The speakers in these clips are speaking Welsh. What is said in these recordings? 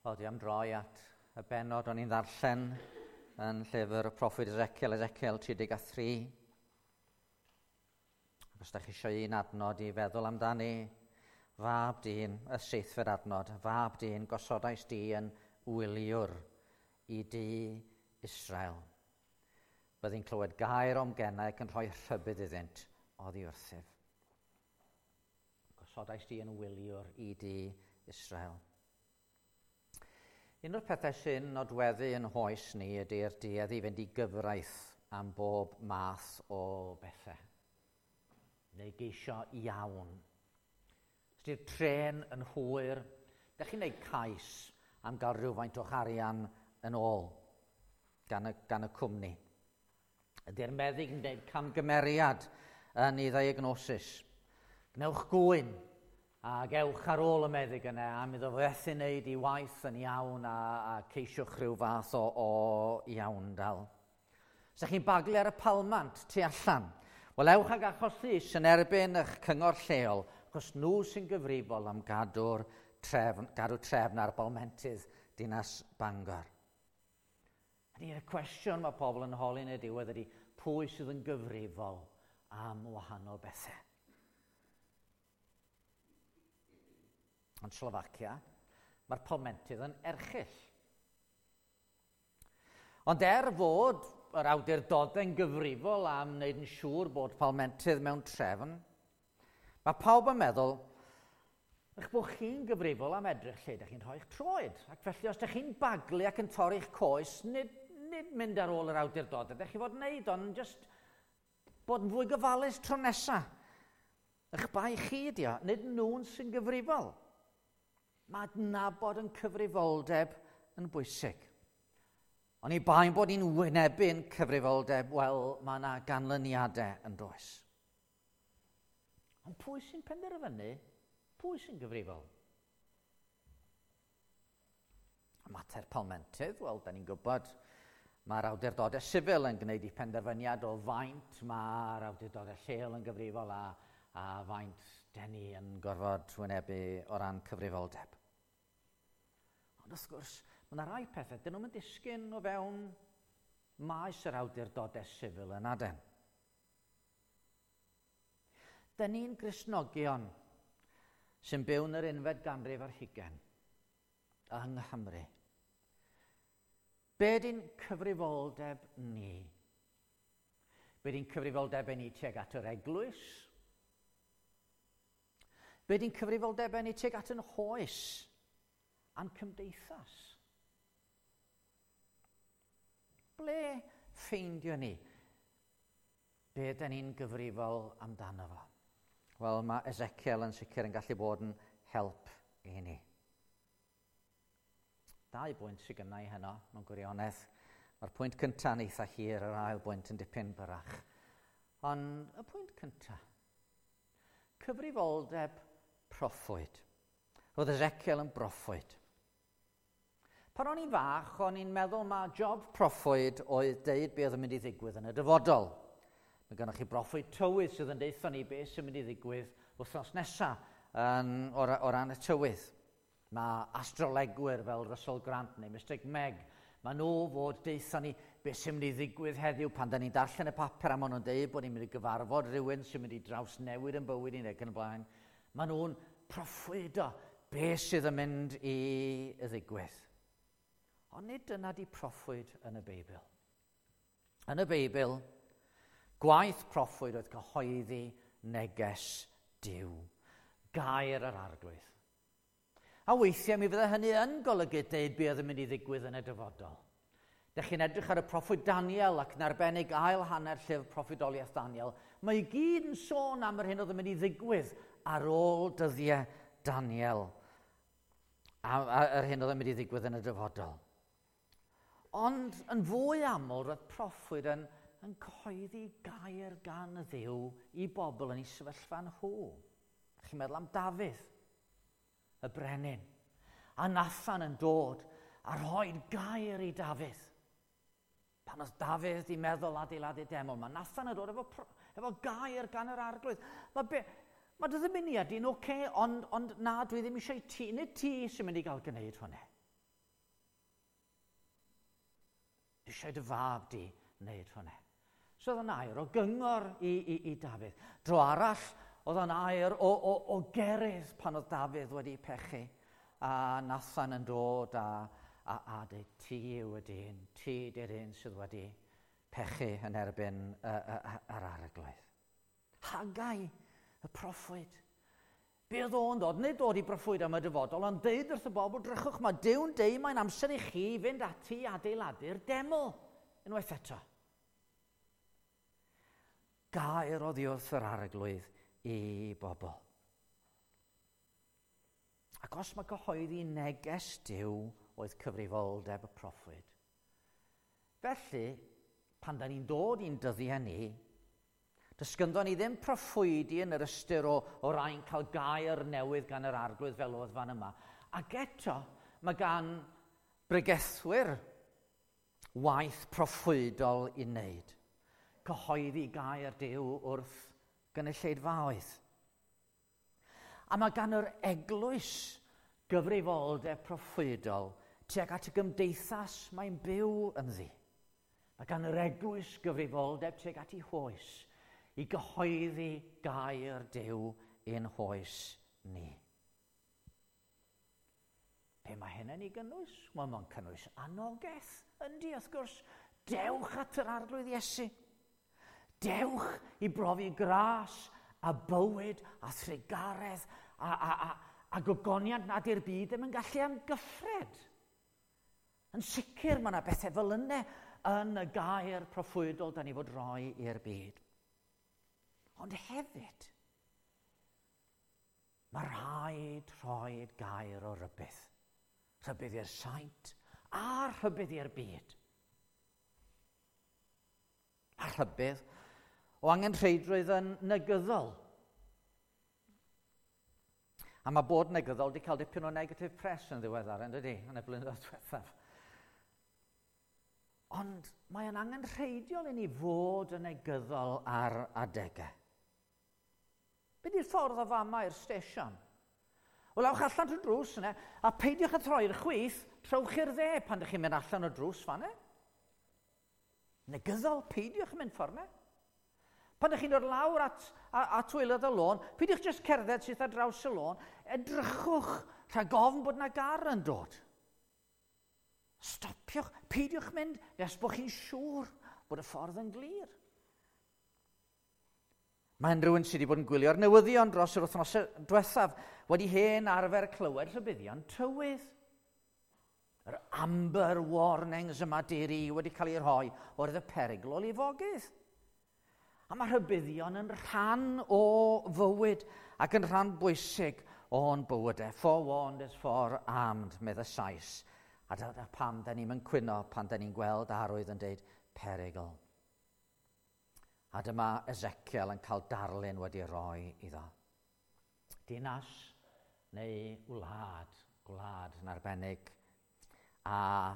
Wel, dwi am droi at y bennod o'n i'n ddarllen yn llyfr y proffwyd Ezekiel, Ezekiel 33. Ac os da chi eisiau un adnod i feddwl amdani, fab dyn, y seithfed adnod, fab dyn, gosodais di yn wyliwr i dŷ Israel. Byddi'n clywed gair o'm genau ac yn rhoi rhybudd iddynt oddi wrthyf. Gosodais di yn wyliwr i dŷ Israel. Un o'r pethau sy'n nodweddu yn hoes ni ydy'r duedd i fynd i gyfraith am bob math o bethau. Neu geisio iawn. Os di'r trên yn hwyr, dych chi'n gwneud cais am gael rhywfaint o'ch arian yn ôl gan y cwmni. Ydy'r meddyg yn gwneud camgymeriad yn ei ddiagnosis? Gwnewch gŵyn ac ewch ar ôl y meddyg yna am iddo fethu wneud ei waith yn iawn a ceisiwch rhyw fath o iawndal. Os ydych chi'n baglu ar y palmant tu allan, wel ewch ag achos llys yn erbyn eich cyngor lleol, achos nhw sy'n gyfrifol am gadw trefn ar balmentydd dinas Bangor. Ydy'r cwestiwn mae pobl yn holi yn y diwedd ydy pwy sydd yn gyfrifol am wahanol bethau. Yn Slofacia, mae'r palmentydd yn erchyll. Ond er fod yr awdurdodau'n gyfrifol am wneud yn siŵr bod palmentydd mewn trefn, mae pawb yn meddwl eich bod chi'n gyfrifol am edrych lle ydych chi'n rhoi'ch troed. Ac felly os ydych chi'n baglu ac yn torri'ch coes, nid mynd ar ôl yr awdurdodau, ydych chi fod yn wneud, ond just bod yn fwy gyfalus tro nesaf. Eich bai chi ydi o, nid nhw'n sy'n gyfrifol. Mae adnabod yn cyfrifoldeb yn bwysig. Ond i ba'n bod ni'n wynebu'n cyfrifoldeb, wel, mae yna ganlyniadau yn does. Ond pwy sy'n penderfynu? Pwy sy'n gyfrifol? Y mater palmentydd, wel, da ni'n gwybod, mae'r awdurdodau sifil yn gwneud eu penderfyniad o faint, mae'r awdurdodau lleol yn gyfrifol a faint den ni yn gorfod wynebu o ran cyfrifoldeb. Ond wrth gwrs, mae yna rai pethau, dyn nhw'n disgyn o fewn maes yr awdurdodau sifil yn aden. Dyn ni'n Gristnogion sy'n byw yn yr unfed ganrif ar hugain yng Nghymru. Be di'n cyfrifoldeb ni? Be di'n cyfrifoldeb ni tuag at yr eglwys? Be di'n cyfrifoldeb ni tuag at yn hoes a'n cymdeithas? Ble ffeindio ni? Be dyn ni'n gyfrifol amdano fo? Wel, mae Ezekiel yn sicr yn gallu bod yn help i ni. Dau bwynt sydd gynna i heno mewn gwirionedd. Mae'r pwynt cyntaf yn eitha hir, yr ail bwynt yn dipyn byrrach. Ond y pwynt cyntaf, cyfrifoldeb proffwyd. Roedd Ezekiel yn broffwyd. Pan o'n i'n fach, o'n i'n meddwl mae job proffwyd oedd deud beth oedd yn mynd i ddigwydd yn y dyfodol. Mae gennych chi broffwyd tywydd sydd yn deutha ni beth sy'n mynd i ddigwydd wythnos nesaf o ran y tywydd. Mae astrolegwyr fel Russell Grant neu Mr Meg, mae nhw fod deutha ni beth sy'n mynd i ddigwydd heddiw pan da ni'n darllen y papur a maen nhw'n deud bod ni'n mynd i gyfarfod rhywun sy'n mynd i drawsnewid yn bywyd ni ac yn y blaen. Maen nhw'n proffwydo beth sydd yn mynd i ddigwydd. Ond nid dyna di proffwyd yn y Beibl. Yn y Beibl, gwaith proffwyd oedd cyhoeddi neges Duw, gair yr Arglwydd. A weithiau mi fydde hynny yn golygu deud beth oedd yn mynd i ddigwydd yn y dyfodol. Dych chi'n edrych ar y proffwyd Daniel ac yn arbennig ail hanner llyfr proffwydoliaeth Daniel, mae i gyd yn sôn am yr hyn oedd yn mynd i ddigwydd ar ôl dyddiau Daniel a yr hyn oedd yn mynd i ddigwydd yn y dyfodol. Ond yn fwy aml, roedd proffwyd yn cyhoeddi gair gan y Dduw i bobl yn ei sefyllfa nhw. Chi'n meddwl am Dafydd, y brenin, a Nathan yn dod a rhoi gair i Dafydd. Pan oedd Dafydd di meddwl adeiladu deml, mae Nathan yn dod efo gair gan yr Arglwydd. Mae dy ddymuniad di'n oce, ond na, dwi ddim eisiau ti, nid ti sy'n mynd i gael gwneud hwnna. Dwi eisiau dy fab di wneud hwnna. So oedd o'n air o gyngor i Dafydd. Dro arall, oedd o'n air o gerydd pan oedd Dafydd wedi pechu. A Nathan yn dod a dweud, ti yw y dyn, ti di'r un sydd wedi pechu yn erbyn yr Arglwydd. Haggai, y proffwyd. Be oedd o'n dod? Nid dod i broffwyd am y dyfodol, ond deud wrth y bobl, drychwch, mae Duw'n deud mae'n amser i chi fynd ati i adeiladu'r deml unwaith eto. Gair oddi wrth yr Arglwydd i bobl. Ac os mae cyhoeddi neges Duw oedd cyfrifoldeb y proffwyd. Felly, pan da ni'n dod i'n dyddiau ni, does gynddon ni ddim proffwydi yn yr ystyr o rai'n cael gair newydd gan yr Arglwydd fel oedd fan yma. Ac eto, mae gan bregethwyr waith proffwydol i wneud. Cyhoeddi gair Duw wrth gynulleidfaoedd. A mae gan yr eglwys gyfrifoldeb proffwydol tuag at y gymdeithas mae'n byw ynddi. Mae gan yr eglwys gyfrifoldeb tuag at ei hoes i gyhoeddi gair Duw i'n hoes ni. Be mae hynny'n ei gynnwys? Wel, mae'n cynnwys anogaeth, yndi, wrth gwrs. Dewch at yr Arglwydd Iesu. Dewch i brofi gras a bywyd a thrugaredd a gogoniant nad yw'r byd ddim yn gallu amgyffred. Yn sicr mae yna bethau fel yna yn y gair proffwydol da ni fod roi i'r byd. Ond hefyd, mae rhaid rhoi gair o rybudd. Rhybudd i'r saint a rhybudd i'r byd. A rhybudd o angenrheidrwydd yn negyddol. A mae bod negyddol wedi cael dipyn o negative press yn ddiweddar, yn dydi, yn y blynyddoedd diwethaf. Ond mae yn angenrheidiol i ni fod yn negyddol ar adegau. Be di'r ffordd o fama i'r stesion? Wel, awch allan trwy drws yna, a peidiwch â troi'r chwith, trowch i'r dde pan ydych chi'n mynd allan o drws fan'na. Negyddol, peidiwch yn mynd ffordd yna. Pan ydych chi'n dod lawr at waelod y lôn, peidiwch jyst cerdded syth ar draws y lôn, edrychwch rhag ofn bod yna gar yn dod. Stopiwch, peidiwch mynd nes bod chi'n siŵr bod y ffordd yn glir. Mae unrhyw un sydd wedi bod yn gwylio'r newyddion dros yr wythnosau diwethaf wedi hen arfer clywed rhybuddion tywydd. Yr amber warnings yma diri wedi cael eu rhoi oherwydd y perygl o lifogydd. A mae rhybuddion yn rhan o fywyd ac yn rhan bwysig o'n bywydau. Forewarned is forearmed, medd y Sais. A dyna pam da ni'n cwyno pan da ni'n gweld arwydd yn deud perygl. A dyma Ezekiel yn cael darlun wedi roi iddo. Dinas neu wlad, gwlad yn arbennig. A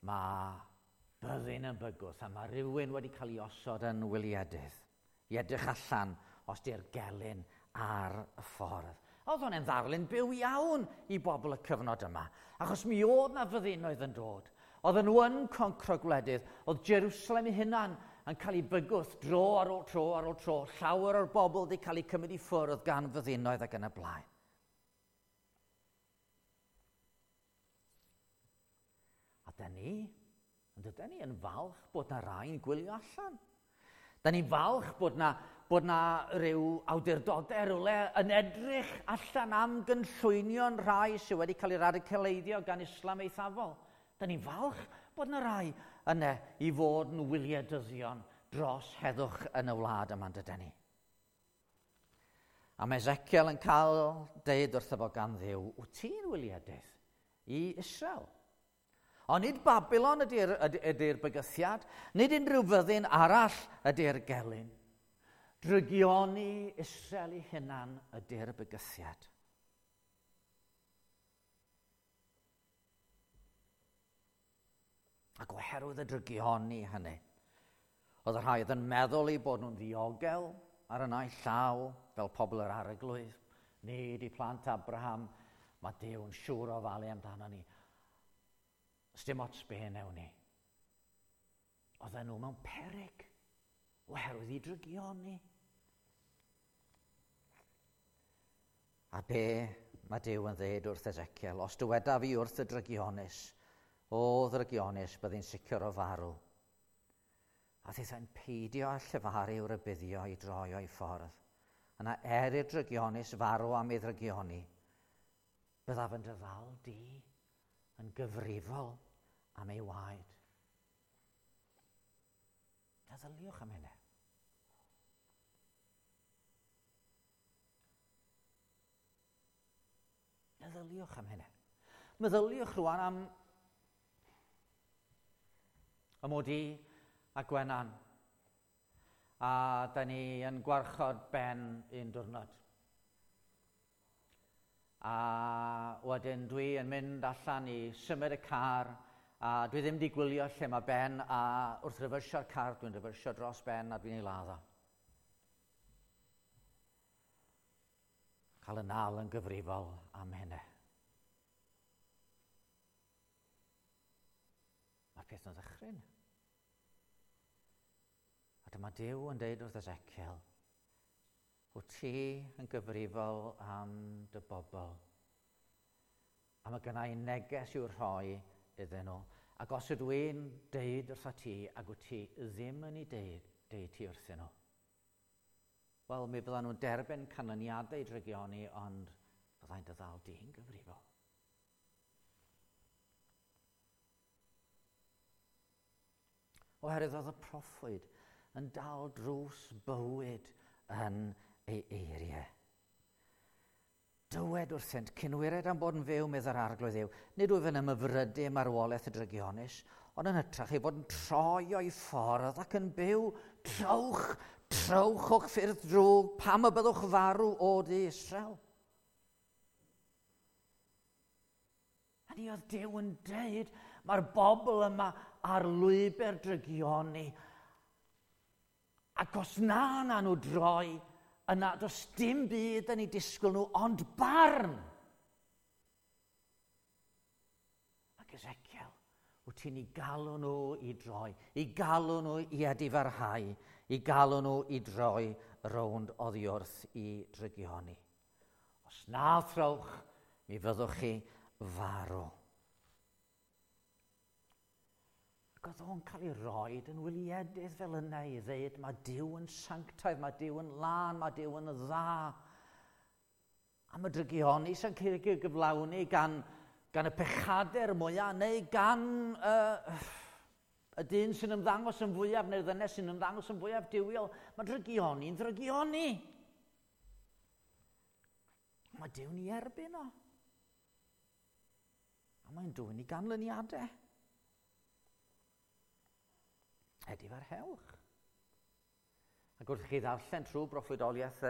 mae byddin yn bygwth a mae rhywun wedi cael ei osod yn wyliedydd i edrych allan os di'r gelyn ar y ffordd. Oedd hwn yn ddarlun byw iawn i bobl y cyfnod yma, achos mi oedd na fyddinoedd yn dod. Oedden nhw yn concro gwledydd, oedd Jerusalem ei hunan yn cael ei bygwth dro ar ôl tro ar ôl tro. Llawer o'r bobl wedi cael eu cymryd i ffwrdd gan fyddinoedd ac yn y blaen. A da ni, ond ydyn ni yn falch bod na rai'n gwylio allan. Da ni'n falch bod na ryw awdurdodau rywle yn edrych allan am gynllwynion rhai sydd wedi cael eu radicaleiddio gan Islam eithafol. Da ni'n falch bod na rai yna i fod yn wyliadyddion dros heddwch yn y wlad yma, dydyn ni. A mae Ezekiel yn cael deud wrtho fo gan Dduw, wyt ti'n wyliadydd i Israel? Ond nid Babylon ydy'r bygythiad, nid unrhyw fyddin arall ydy'r gelyn. Drygioni Israel ei hunan ydy'r bygythiad. Ac oherwydd y drygioni hynny, oedd y rhai oedd yn meddwl eu bod nhw'n ddiogel ar y naill llaw, fel pobl yr Arglwydd, nid i plant Abraham, mae Duw yn siŵr o falu amdano ni. Sdim ots be newn ni. Oedden nhw mewn peryg oherwydd i drygioni. A be mae Duw yn dweud wrth Ezekiel, os dywedaf fi wrth y drygionus, o ddrygionus, byddi'n sicr o farw. A thithau'n peidio â llefaru i'w rybuddio i droi o'i ffordd. Yna er i'r drygionus farw am ei ddrygioni, byddaf yn dy ddal di yn gyfrifol am ei waed. Meddyliwch am hynny. Meddyliwch am hynny. Meddyliwch rwan am y mod i a Gwenan. A da ni yn gwarchod Ben un diwrnod. A wedyn dwi yn mynd allan i symud y car, a dwi ddim wedi gwylio lle mae Ben, a wrth refersio'r car, dwi'n refersio dros Ben a dwi'n ei ladd o. Cael y nal yn gyfrifol am hynny. Mae'r peth yn ddychryn. A dyma Duw yn deud wrth Ezekiel, wyt ti yn gyfrifol am dy bobl. A mae gynna i neges i'w rhoi iddyn nhw. Ac os ydw i'n deud wrtha ti, ac wyt ti ddim yn ei deud, deud ti wrthyn nhw. Wel, mi fyddan nhw'n derbyn canlyniadau drygioni, ond byddai'n dy ddal di'n gyfrifol. Oherwydd oedd y proffwyd yn dal drws bywyd yn ei eiriau. Dywed wrthynt, cynwired am bod yn fyw, medd yr Arglwydd Dduw, nid wyf yn ymhyfrydu marwolaeth y drygionus, ond yn hytrach ei bod yn troi o'i ffordd ac yn byw, trowch, trowch o'ch ffyrdd drwg, pam y byddwch farw o dy Israel. A ni oedd Duw yn deud, mae'r bobl yma ar lwybr drygioni, ac os na na nhw droi, yna does dim byd yn ei disgwyl nhw, ond barn. Ac Ezekiel, wyt ti'n ei galw nhw i droi, i galw nhw i edifarhau, i galw nhw i droi rownd oddi wrth i drygioni. Os na throwch, mi fyddwch chi farw. Ac oedd o'n cael ei roed yn wyliedydd fel yna i ddeud mae Duw yn sanctaidd, mae Duw yn lân, mae Duw yn dda. A mae drygioni sy'n cael ei gyflawni gan y pechadur mwyaf neu gan y dyn sy'n ymddangos yn fwyaf neu'r ddynes sy'n ymddangos yn fwyaf duwiol. Mae drygioni'n ddrygioni. Mae Duw'n ei erbyn o. A mae'n dwyn i ganlyniadau. Edifarhewch. Ac wrth chi ddarllen trwy broffwydoliaeth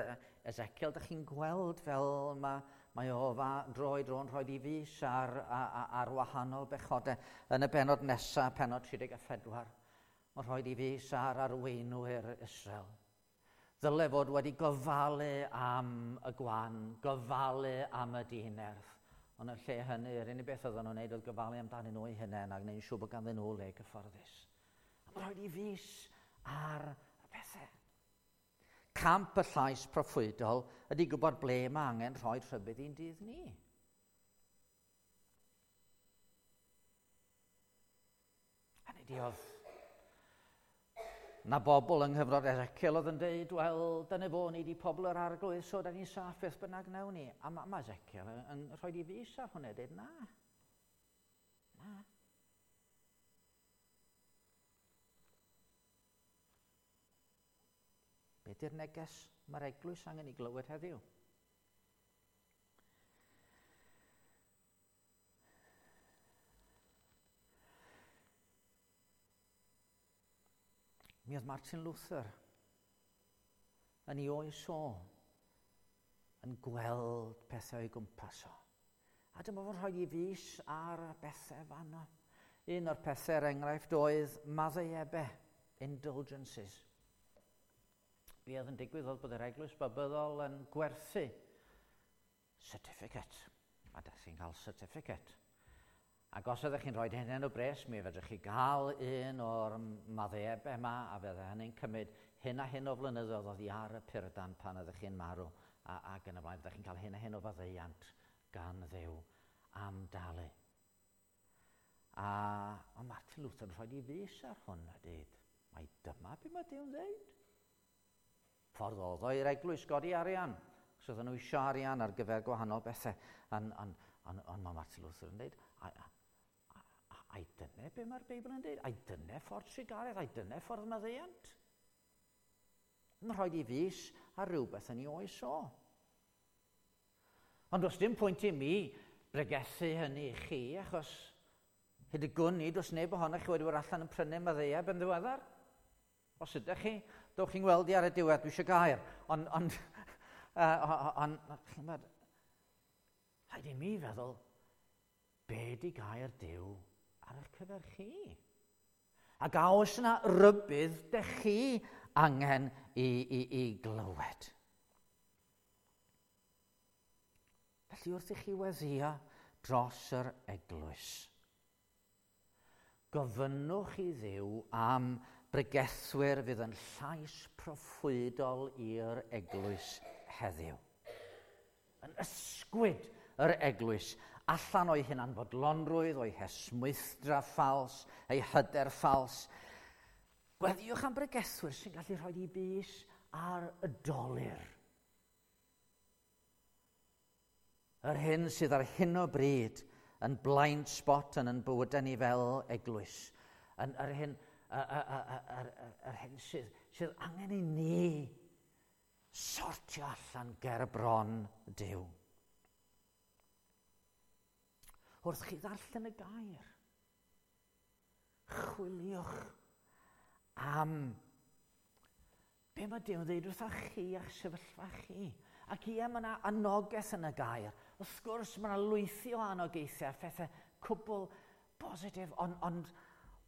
Ezekiel, dych chi'n gweld fel mae o dro i dro'n rhoi i fys ar wahanol bechodau. Yn y bennod nesaf, pennod 34, mae'n rhoi i fys ar arweinwyr Israel. Ddyle fod wedi gofalu am y gwan, gofalu am y dinerth. Ond yn lle hynny, yr unig beth oedden nhw'n wneud oedd gofalu amdanyn nhw eu hunain a gwneud yn siŵr bod ganddyn nhw le cyfforddus. A mae'n rhaid i fys ar y pethau. Camp y llais proffwydol ydy gwybod ble mae angen rhoi rhybudd i'n dydd ni. Hynny ydi oedd na bobl yng nghyfnod Ezekiel oedd yn deud, wel, dyna fo, ni di pobl yr Arglwydd, so da ni'n saff beth bynnag nawn ni. A mae Ezekiel yn rhoi i fys ar hwnna, deud, na. Na. Be di'r neges mae'r eglwys angen i glywed heddiw? Mi oedd Martin Luther yn ei oes o yn gweld pethau o'i gwmpas o. A dyma fo'n rhoi i fys ar bethau fanno. Un o'r pethau, er enghraifft, oedd maddeuebau, indulgences. Be oedd yn digwydd oedd bod yr eglwys Babyddol yn gwerthu certificate. A da chi'n cael certificate. Ac os ydych chi'n rhoi hyn o bres, mi fedrwch chi gael un o'r maddeuebau yma, a fydde hynny'n cymryd hyn a hyn o flynyddoedd oddi ar y purdan pan ydych chi'n marw, ac yn y blaen, byddech chi'n cael hyn a hyn o faddeuant gan Dduw am dalu. A mae Martin Luther yn rhoi i fys ar hwn a dweud, mai dyma be mae Duw'n dweud. Ffordd oedd o i'r eglwys godi arian, achos oedden nhw eisiau arian ar gyfer gwahanol bethau. Ond mae Martin Luther yn dweud, ai dyna be mae'r Beibl yn dweud? Ai dyna ffordd trugaredd? Ai dyna ffordd maddeuant? Mae'n rhaid i fys ar rhywbeth yn ei oes o. Ond does dim pwynt i mi bregethu hynny i chi, achos hyd y gwn i, does neb ohonoch chi wedi bod allan yn prynu maddeueb yn ddiweddar. Os ydych chi, dowch chi'n gweld i ar y diwedd, dwi eisiau gair. Ond, rhaid i mi feddwl, be di gair Duw ar eich cyfer chi? Ac a oes yna rybudd dych chi angen i glywed? Felly wrth i chi weddïo dros yr eglwys, gofynnwch i Dduw am bregethwyr fydd yn llais proffwydol i'r eglwys heddiw. Yn ysgwyd yr eglwys allan o'i hunanfodlonrwydd, o'i hesmwythdra ffals, ei hyder ffals. Gweddïwch am bregethwyr sy'n gallu rhoi i bys ar y dolur. Yr hyn sydd ar hyn o bryd yn blind spot yn yn bywydau ni fel eglwys. Yn yr hyn, yr hyn sydd angen i ni sortio allan ger bron Duw. Wrth chi ddarllen y gair, chwiliwch am be mae Duw'n dweud wrtha chi a'ch sefyllfa chi. Ac ie, mae yna anogaeth yn y gair. Wrth gwrs, mae yna lwythi o anogaethau a phethau cwbl bositif, ond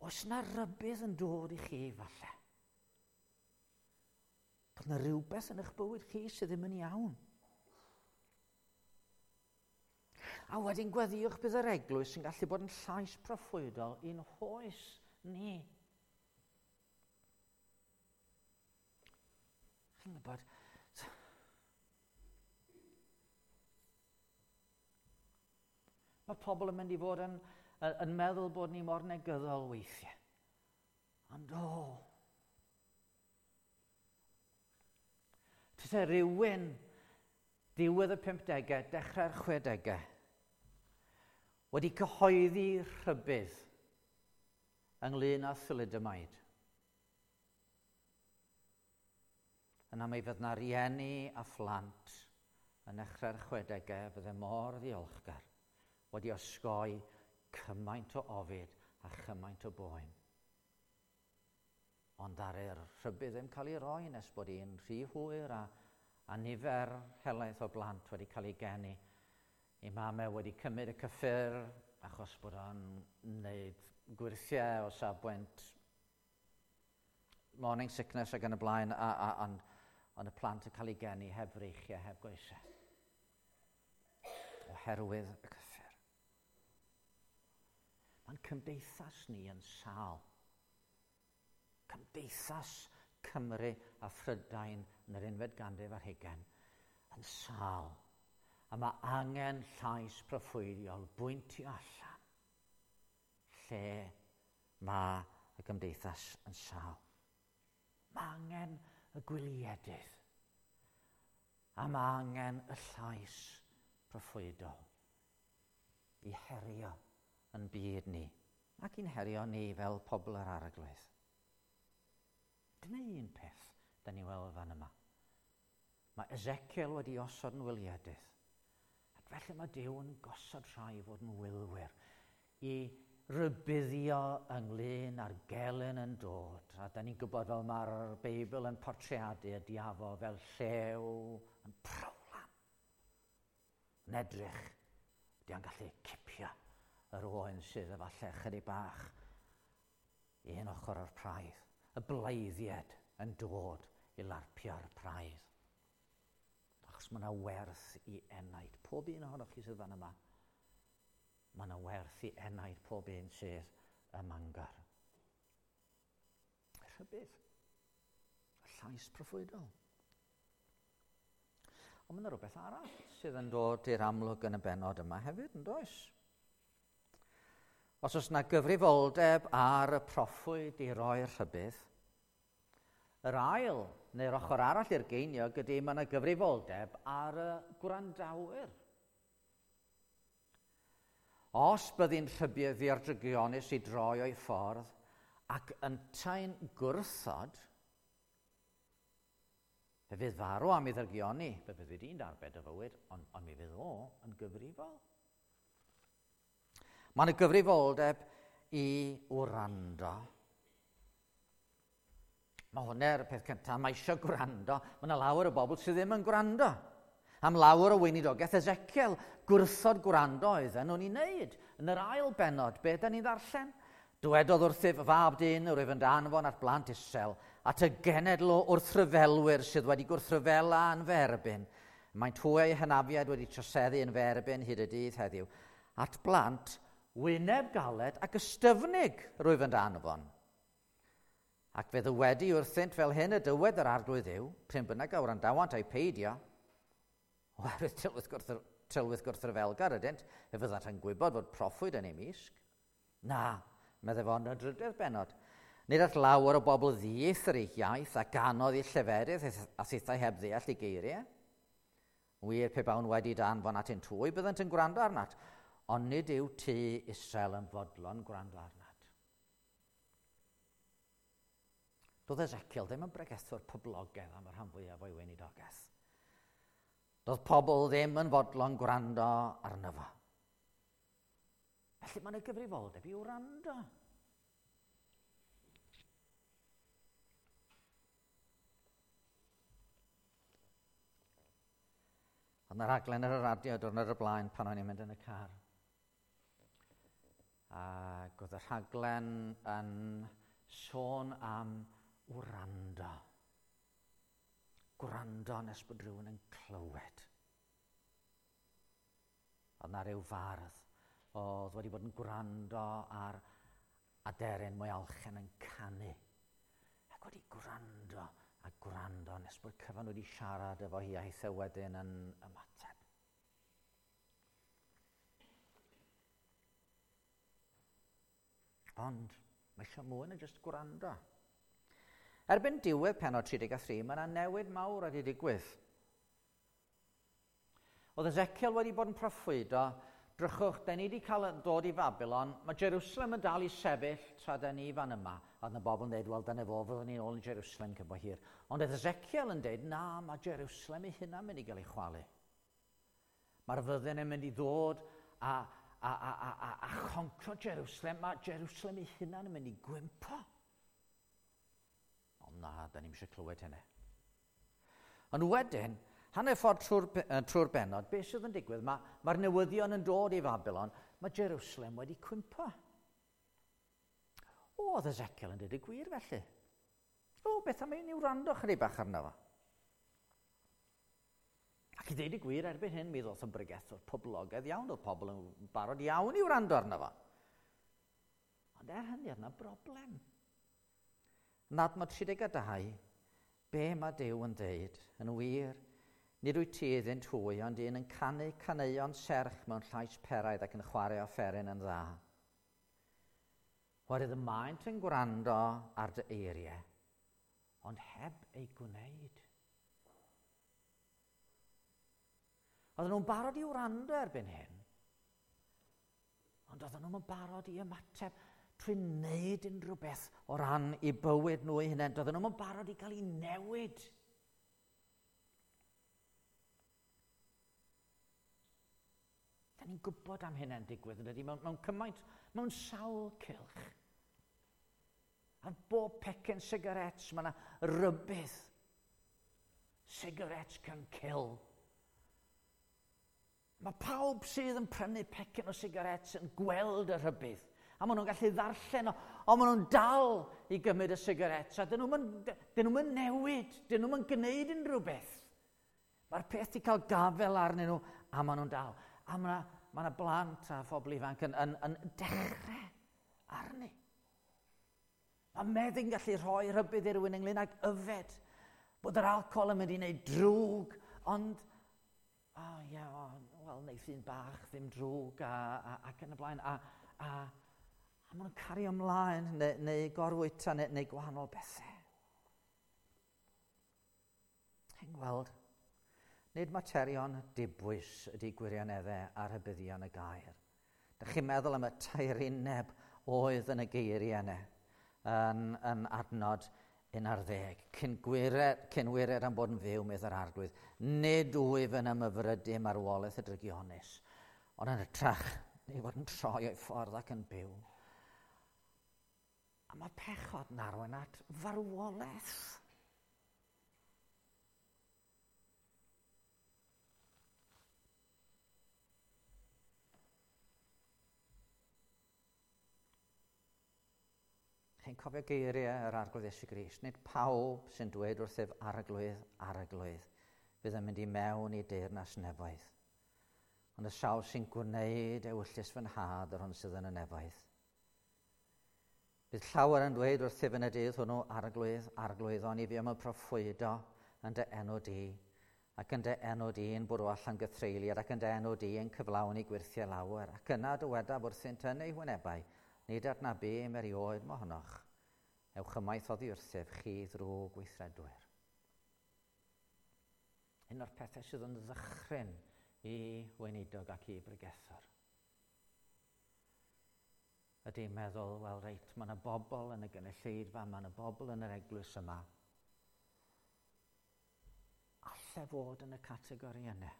oes yna rybudd yn dod i chi falle? Bod yna rhywbeth yn eich bywyd chi sydd ddim yn iawn. A wedyn gweddïwch bydd yr eglwys yn gallu bod yn llais proffwydol i'n hoes ni. Chi'n gwybod, mae pobl yn mynd i fod yn meddwl bod ni mor negyddol weithiau. Ond o, tase rhywun diwedd y 50au, dechrau'r 60au, wedi cyhoeddi rhybudd ynglyn â thalidomide. Yna mi fydd 'na rieni a phlant yn dechrau'r 60au fydde mor ddiolchgar wedi osgoi cymaint o ofid a chymaint o boen. Ond ar yr rhybudd ddim cael ei roi nes bod hi'n rhy hwyr a nifer helaeth o blant wedi cael ei geni. I mamau wedi cymryd y cyffur achos bod o'n wneud gwyrthiau o safbwynt morning sickness ac yn y blaen, ond y plant yn cael ei geni heb freichiau, heb goesau. Oherwydd y cyffur. Mae'n cymdeithas ni yn sâl. Cymdeithas Cymru a Phrydain yn yr unfed ganrif ar hugain yn sâl. A mae angen llais proffwydiol bwyntio allan lle mae y gymdeithas yn sâl. Mae angen y gwyliedydd a mae angen y llais proffwydol i herio yn byd ni ac i'n herio ni fel pobl yr Arglwydd. Dyna un peth da ni weld fan yma. Mae Ezekiel wedi osod yn wyliedydd. Ac felly mae Duw yn gosod rhai fod yn wylwyr i rybuddio ynglyn â'r gelyn yn dod. A da ni'n gwybod fel mae'r Beibl yn portreadu y diafol fel llew yn prowlan. Yn edrych, di o'n gallu cipio yr oen sydd efallai chydig bach i un ochr o'r praidd. Y bleiddiad yn dod i larpio'r praidd. Achos mae yna werth i enaid. Pob un ohonoch chi sydd fan yma. Mae yna werth i enaid pob un sydd ym Mangor. Rhybudd. Y llais proffwydol. Ond mae yna rhywbeth arall sydd yn dod i'r amlwg yn y bennod yma hefyd, yn does? Os oes yna gyfrifoldeb ar y proffwyd i roi'r rhybudd, yr ail neu'r ochr arall i'r geiniog ydy mae yna gyfrifoldeb ar y gwrandawyr. Os byddi'n rhybuddio'r drygionus i droi o'i ffordd ac yntau'n gwrthod, fe fydd farw am ei ddrygioni, fe fydd wedi'n darbed y fywyd, ond mi fydd o yn gyfrifol. Mae yna gyfrifoldeb i wrando. Mae hwnna'r peth cyntaf, mae eisiau gwrando. Mae yna lawer o bobl sydd ddim yn gwrando. Am lawer o weinidogaeth Ezekiel, gwrthod gwrando oedden nhw'n ei wneud. Yn yr ail bennod, be da ni'n ddarllen? Dywedodd wrthyf fab dyn, rwyf yn danfon at blant Israel, at y genedl o wrthryfelwyr sydd wedi gwrthryfela yn fy erbyn. Maent hwy eu hynafiaid wedi troseddu yn fy erbyn hyd y dydd heddiw. At blant wyneb galed ac ystyfnig rwyf yn danfon. Ac fe ddywedi wrthynt fel hyn y dywed yr arglwydd yw, pryn bynnag a wrandawant a'i peidio, oherwydd tylwyth gwrthryfelgar ydynt, fe fyddant yn gwybod fod proffwyd yn ei misg. Na, meddai fo yn y drydedd bennod. Nid at lawer o bobl ddieithr eu hiaith a ganodd eu lleferydd a thithau heb ddeall eu geiriau. Wir, pe bawn wedi danfon at un twy, byddant yn gwrando arnat, ond nid yw tŷ Israel yn fodlon gwrando arnat. Doedd Ezekiel ddim yn bregethwr poblogaidd am y rhan fwyaf o'i weinidogaeth. Doedd pobl ddim yn fodlon gwrando arno fo. Felly mae yna gyfrifoldeb i wrando. Oedd yna raglen ar y radio diwrnod o'r blaen pan o'n i'n mynd yn y car. Ac oedd y rhaglen yn sôn am wrando. Gwrando nes bod rhywun yn clywed. Oedd yna rhyw fardd oedd wedi bod yn gwrando ar aderyn mwyalchen yn canu. Ac wedi gwrando a gwrando nes bod cyfan wedi siarad efo hi a hithau wedyn yn ymateb. Ond mae eisiau mwy na jyst gwrando. Erbyn diwedd pennod 33, mae yna newid mawr wedi digwydd. Oedd Ezekiel wedi bod yn proffwydo, drychwch, da ni wedi cael dod i Babylon, mae Jerusalem yn dal i sefyll tra da ni fan yma. A oedd yna bobl yn dweud, wel, dyna fo, fyddwn ni'n ôl yn Jerusalem cyn bo hir. Ond oedd Ezekiel yn dweud, na, mae Jerusalem ei hunan mynd i gael ei chwalu. Mae'r fyddin yn mynd i ddod a choncro Jerusalem, mae Jerusalem ei hunan yn mynd i gwympo. Ond na, da ni'm eisiau clywed hynny. Ond wedyn, hanner ffordd trwy'r bennod, beth sydd yn digwydd? Mae'r newyddion yn dod i Babylon, mae Jerusalem wedi cwympo. O, oedd Ezekiel yn dweud y gwir felly. O, beth am i ni wrando chydig bach arno fo? Ac i ddeud y gwir, erbyn hyn, mi ddoth yn bregethwr poblogaidd iawn, oedd pobl yn barod iawn i wrando arno fo. Ond er hynny, oedd yna broblem. Yn adnod 32, be mae Duw yn dweud? Yn wir, nid wyt ti iddynt hwy, ond un yn canu caneuon serch mewn llais peraidd ac yn chwarae offeryn yn dda. Oherwydd y maent yn gwrando ar dy eiriau, ond heb ei gwneud. Oedden nhw'n barod i wrando erbyn hyn, ond oedden nhw'n barod i ymateb trwy wneud unrhyw beth o ran i bywyd nhw eu hunain. Doedden nhw'n barod i gael ei newid. Da ni'n gwybod am hynny'n digwydd, yn dydy, mewn cymaint, mewn sawl cylch. Ar bob pecyn sigarets, mae yna rybudd. Cigarettes can kill. Mae pawb sydd yn prynu pecyn o sigarets yn gweld y rhybudd. A maen nhw'n gallu ddarllen o, ond maen nhw'n dal i gymryd y sigarets. A dyn nhw'n newid, dyn nhw'n gwneud unrhyw beth. Mae'r peth wedi cael gafel arnyn nhw, a maen nhw'n dal. A mae ma blant a phobl ifanc yn dechrau arni. Mae meddyg yn gallu rhoi rhybudd i rywun ynglyn ag yfed, bod yr alcohol yn mynd i wneud drwg, ond, o oh, ie, yeah, oh, wel, wneith un bach ddim drwg ac yn y blaen, a maen nhw'n cario ymlaen neu gorfwyta neu gwahanol bethau. Chi'n gweld, nid materion dibwys ydy gwirioneddau a rhybuddion y gair. Dych chi'n meddwl am y tairineb oedd yn y geiriau yna yn adnod 11. Cyn gwired am bod yn fyw, medd yr Arglwydd, nid wyf yn ymhyfrydu marwolaeth y drygionus, ond yn hytrach, neu fod yn troi o'i ffordd ac yn byw. A mae pechod yn arwain at farwolaeth. Chi'n cofio geiriau yr Arglwydd Iesu Grist. Nid pawb sy'n dweud wrthyf Arglwydd, Arglwydd, fydd yn mynd i mewn i deyrnas nefoedd. Ond y sawl sy'n gwneud ewyllys fy nhad yr hwn sydd yn y nefoedd. Bydd llawer yn dweud wrthyf yn y dydd hwnnw, Arglwydd, Arglwydd, ond i fi am y proffwydo yn dy enw di, ac yn dy enw di yn bwrw allan gythreuliad, ac yn dy enw di yn cyflawni gwyrthiau lawer, ac yna dywedaf wrthynt yn eu hwynebau, nid adnabum erioed mohonoch, ewch ymaith oddi wrthyf chi ddrwg gweithredwyr. Un o'r pethau sydd yn ddychryn i weinidog ac i bregethwr ydy meddwl, wel reit, mae yna bobl yn y gynulleidfa, mae yna bobl yn yr eglwys yma. Alle fod yn y categori yna.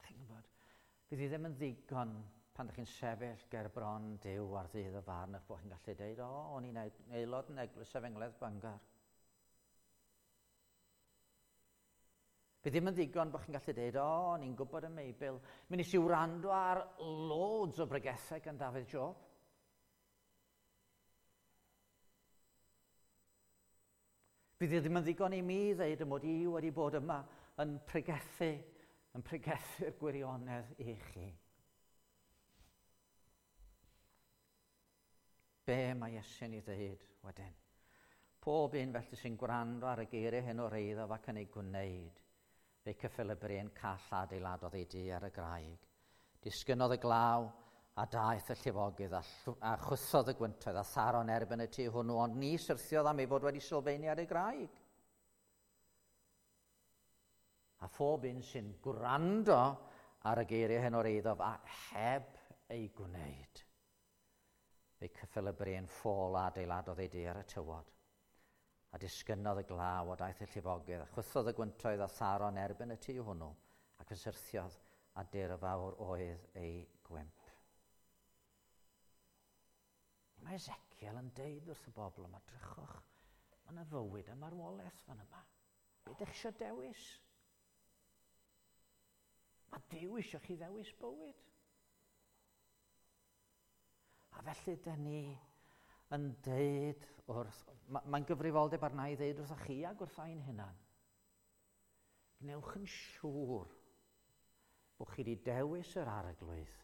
Chi'n gwybod, fydd hi ddim yn ddigon pan ydych chi'n sefyll ger bron Duw ar ddydd y farn eich bod chi'n gallu dweud, o, o'n i'n aelod yn Eglwys Efengylaidd Bangor. Bydd ddim yn ddigon bod chi'n gallu dweud, o, o'n i'n gwybod y Meibl. Mi nes i wrando ar loads o bregethau gan Dafydd Job. Bydd ddim yn ddigon i mi ddeud y mod i wedi bod yma yn pregethu'r gwirionedd i chi. Be mae Iesu'n ei ddeud wedyn? Pob un felly sy'n gwrando ar y geiriau hyn o'r eiddo ac yn ei gwneud, fe cyffelybu un call adeiladodd ei dŷ ar y graig. Disgynnodd y glaw a daeth y llifogydd a chwythodd y gwyntoedd a tharo'n erbyn y tŷ hwnnw, ond ni syrthiodd am ei fod wedi sylfaenu ar ei graig. A phob un sy'n gwrando ar y geiriau hyn o'r eiddo a heb ei gwneud, fe cyffelybu un ffôl adeiladodd ei dŷ ar y tywod. A disgynnodd y glaw a daeth y llifogydd, a chwythodd y gwyntoedd a tharo'n erbyn y tŷ hwnnw, ac fe syrthiodd a dirfawr oedd ei gwymp. Mae Ezekiel yn deud wrth y bobl yma, drychwch, mae yna fywyd a marwolaeth fan yma. Be ydych eisiau dewis? Mae Duw eisiau chi ddewis bywyd. A felly dyn ni yn deud wrth... Mae'n gyfrifoldeb arna i ddeud wrth chi ac wrth ein hunan. Gwnewch yn siŵr bod chi wedi dewis yr Arglwydd.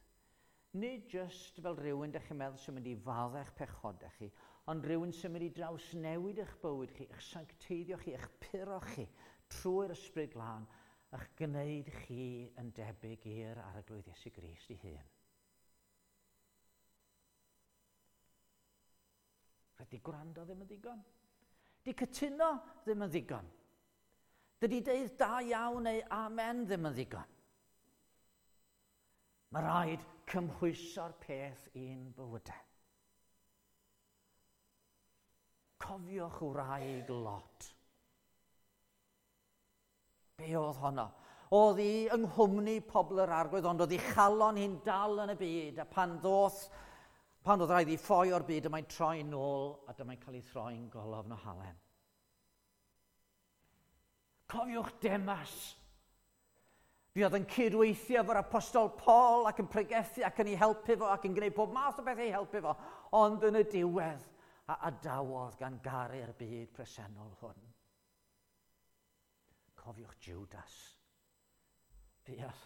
Nid jyst fel rhywun dych chi'n meddwl sy'n mynd i faddau eich pechodau chi, ond rhywun sy'n mynd i drawsnewid eich bywyd chi, eich sancteiddio chi, eich puro chi trwy'r Ysbryd Glân, eich gwneud chi yn debyg i'r Arglwydd Iesu Grist ei hun. Dydy gwrando ddim yn ddigon. Di cytuno ddim yn ddigon. Dydy deud da iawn neu amen ddim yn ddigon. Mae rhaid cymhwyso'r peth i'n bywydau. Cofiwch wraig Lot. Be oedd honno? Oedd hi yng nghwmni pobl yr Arglwydd, ond oedd hi chalon hi'n dal yn y byd, a pan oedd rhaid i ffoi o'r byd, dyma'n troi nôl, a dyma'n cael ei throi'n golofn o halen. Cofiwch Demas. Fi oedd yn cydweithio efo'r apostol Paul ac yn pregethu ac yn ei helpu fo ac yn gwneud pob math o beth ei helpu fo. Ond yn y diwedd, a adawodd gan garu'r byd presennol hwn. Cofiwch Judas. Fuodd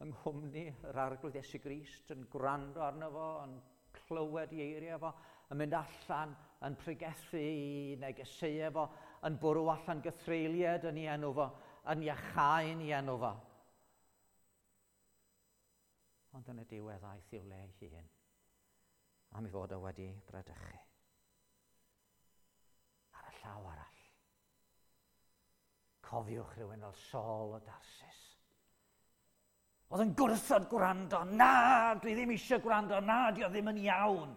yng nghwmni yr Arglwydd Iesu Grist yn gwrando arno fo, yn clywed ei eiriau fo, yn mynd allan, yn pregethu ei negeseuau fo, yn bwrw allan gythreuliaid yn ei enw fo, yn iachau yn ei enw fo. Ond yn y diwedd aeth i'w le ei hun, am ei fod o wedi bradychu. Ar y llaw arall, cofiwch rhywun fel Saul o Darsus. Oedd yn gwrthod gwrando, na, dwi ddim eisiau gwrando, na, di o ddim yn iawn.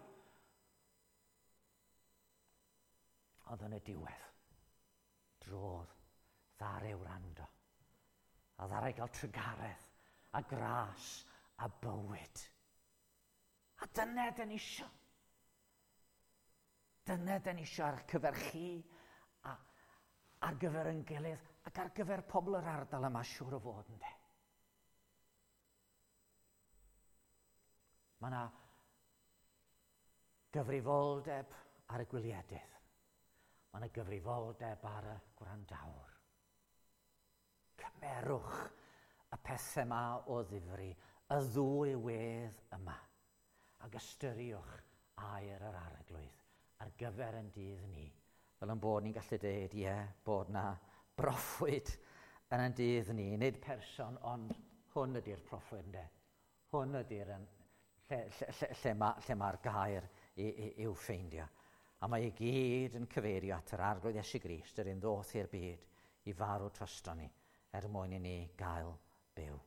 Ond yn y diwedd, drodd, ddaru wrando, a ddaru gael trugaredd, a gras, a bywyd. A dyna dyn ni isio. Dyna dyn ni isio ar gyfer chi, a ar gyfer ein gilydd, ac ar gyfer pobl yr ardal yma siŵr o fod, yndê. Mae yna gyfrifoldeb ar y gwyliedydd. Mae yna gyfrifoldeb ar y gwrandawr. Cymerwch y pethau yma o ddifri, y ddwy wedd yma, ac ystyriwch air yr Arglwydd ar gyfer ein dydd ni, fel yn bod ni'n gallu dweud, ie, bod na broffwyd yn ein dydd ni, nid person, ond hwn ydy'r proffwyd, ynde. Hwn ydy'r lle, lle, lle, lle, ma, lle mae'r gair i'w ffeindio. A mae i gyd yn cyfeirio at yr Arglwydd Iesu Grist, yr un ddoth i'r byd i farw drosto ni, er mwyn i ni gael byw.